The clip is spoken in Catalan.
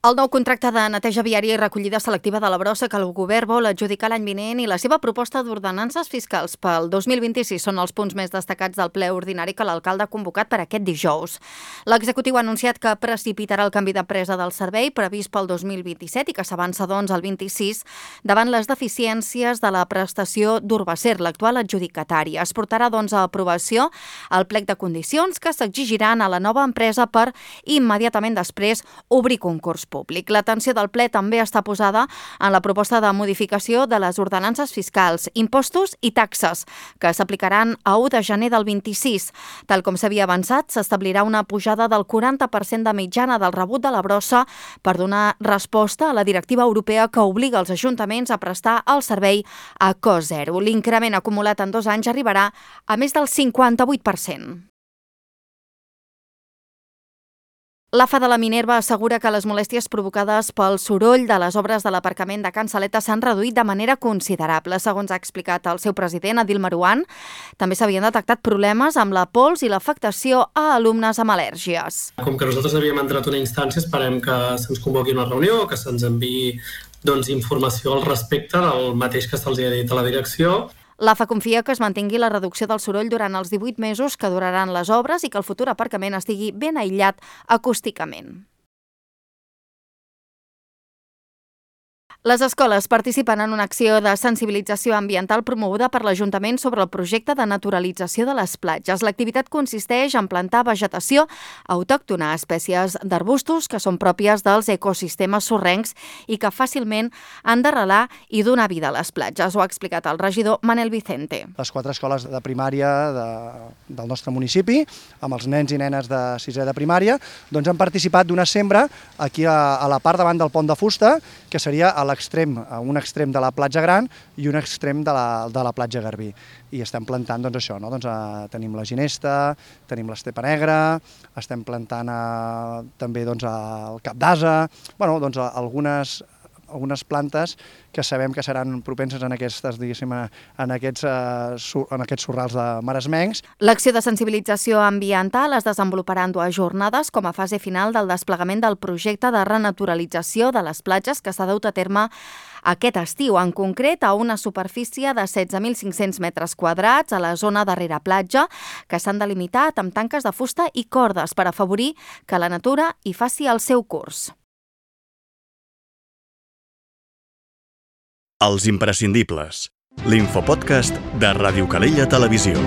El nou contracte de neteja viària i recollida selectiva de la brossa que el govern vol adjudicar l'any vinent i la seva proposta d'ordenances fiscals pel 2026 són els punts més destacats del ple ordinari que l'alcalde ha convocat per aquest dijous. L'executiu ha anunciat que precipitarà el canvi d'empresa del servei previst pel 2027 i que s'avança, doncs, al 26 davant les deficiències de la prestació d'Urbacer, l'actual adjudicatària. Es portarà, doncs, a aprovació el plec de condicions que s'exigiran a la nova empresa per immediatament després obrir concurs públic. L'atenció del ple també està posada en la proposta de modificació de les ordenances fiscals, impostos i taxes, que s'aplicaran a 1 de gener del 26. Tal com s'havia avançat, s'establirà una pujada del 40% de mitjana del rebut de la brossa per donar resposta a la directiva europea que obliga els ajuntaments a prestar el servei a cost zero. L'increment acumulat en 2 anys arribarà a més del 58%. L'AFA de la Minerva assegura que les molèsties provocades pel soroll de les obres de l'aparcament de Can Saleta s'han reduït de manera considerable. Segons ha explicat el seu president, Adil Marouane, també s'havien detectat problemes amb la pols i l'afectació a alumnes amb al·lèrgies. Com que nosaltres havíem entrat una instància, esperem que se'ns convoqui una reunió, que se'ns enviï informació al respecte del mateix que se'ls ha dit a la direcció. L'AFA confia que es mantingui la reducció del soroll durant els 18 mesos que duraran les obres i que el futur aparcament estigui ben aïllat acústicament. Les escoles participen en una acció de sensibilització ambiental promoguda per l'Ajuntament sobre el projecte de naturalització de les platges. L'activitat consisteix en plantar vegetació autòctona, espècies d'arbustos que són pròpies dels ecosistemes sorrencs i que fàcilment han d'arrelar i donar vida a les platges. Ho ha explicat el regidor Manel Vicente. Les 4 escoles de primària del nostre municipi, amb els nens i nenes de 6è de primària, doncs han participat d'una sembra aquí a la part davant del pont de fusta, que seria a un extrem de la platja Gran i un extrem de la platja Garbí. I estem plantant això, no? Tenim la ginesta, tenim l'estepa negra, estem plantant també el cap d'ase, algunes plantes que sabem que seran propenses en aquests sorrals de maresmencs. L'acció de sensibilització ambiental es desenvoluparà en 2 jornades com a fase final del desplegament del projecte de renaturalització de les platges que s'ha dut a terme aquest estiu, en concret a una superfície de 16.500 metres quadrats a la zona darrere platja, que s'han delimitat amb tanques de fusta i cordes per afavorir que la natura hi faci el seu curs. Els imprescindibles, l'infopodcast de Ràdio Calella Televisió.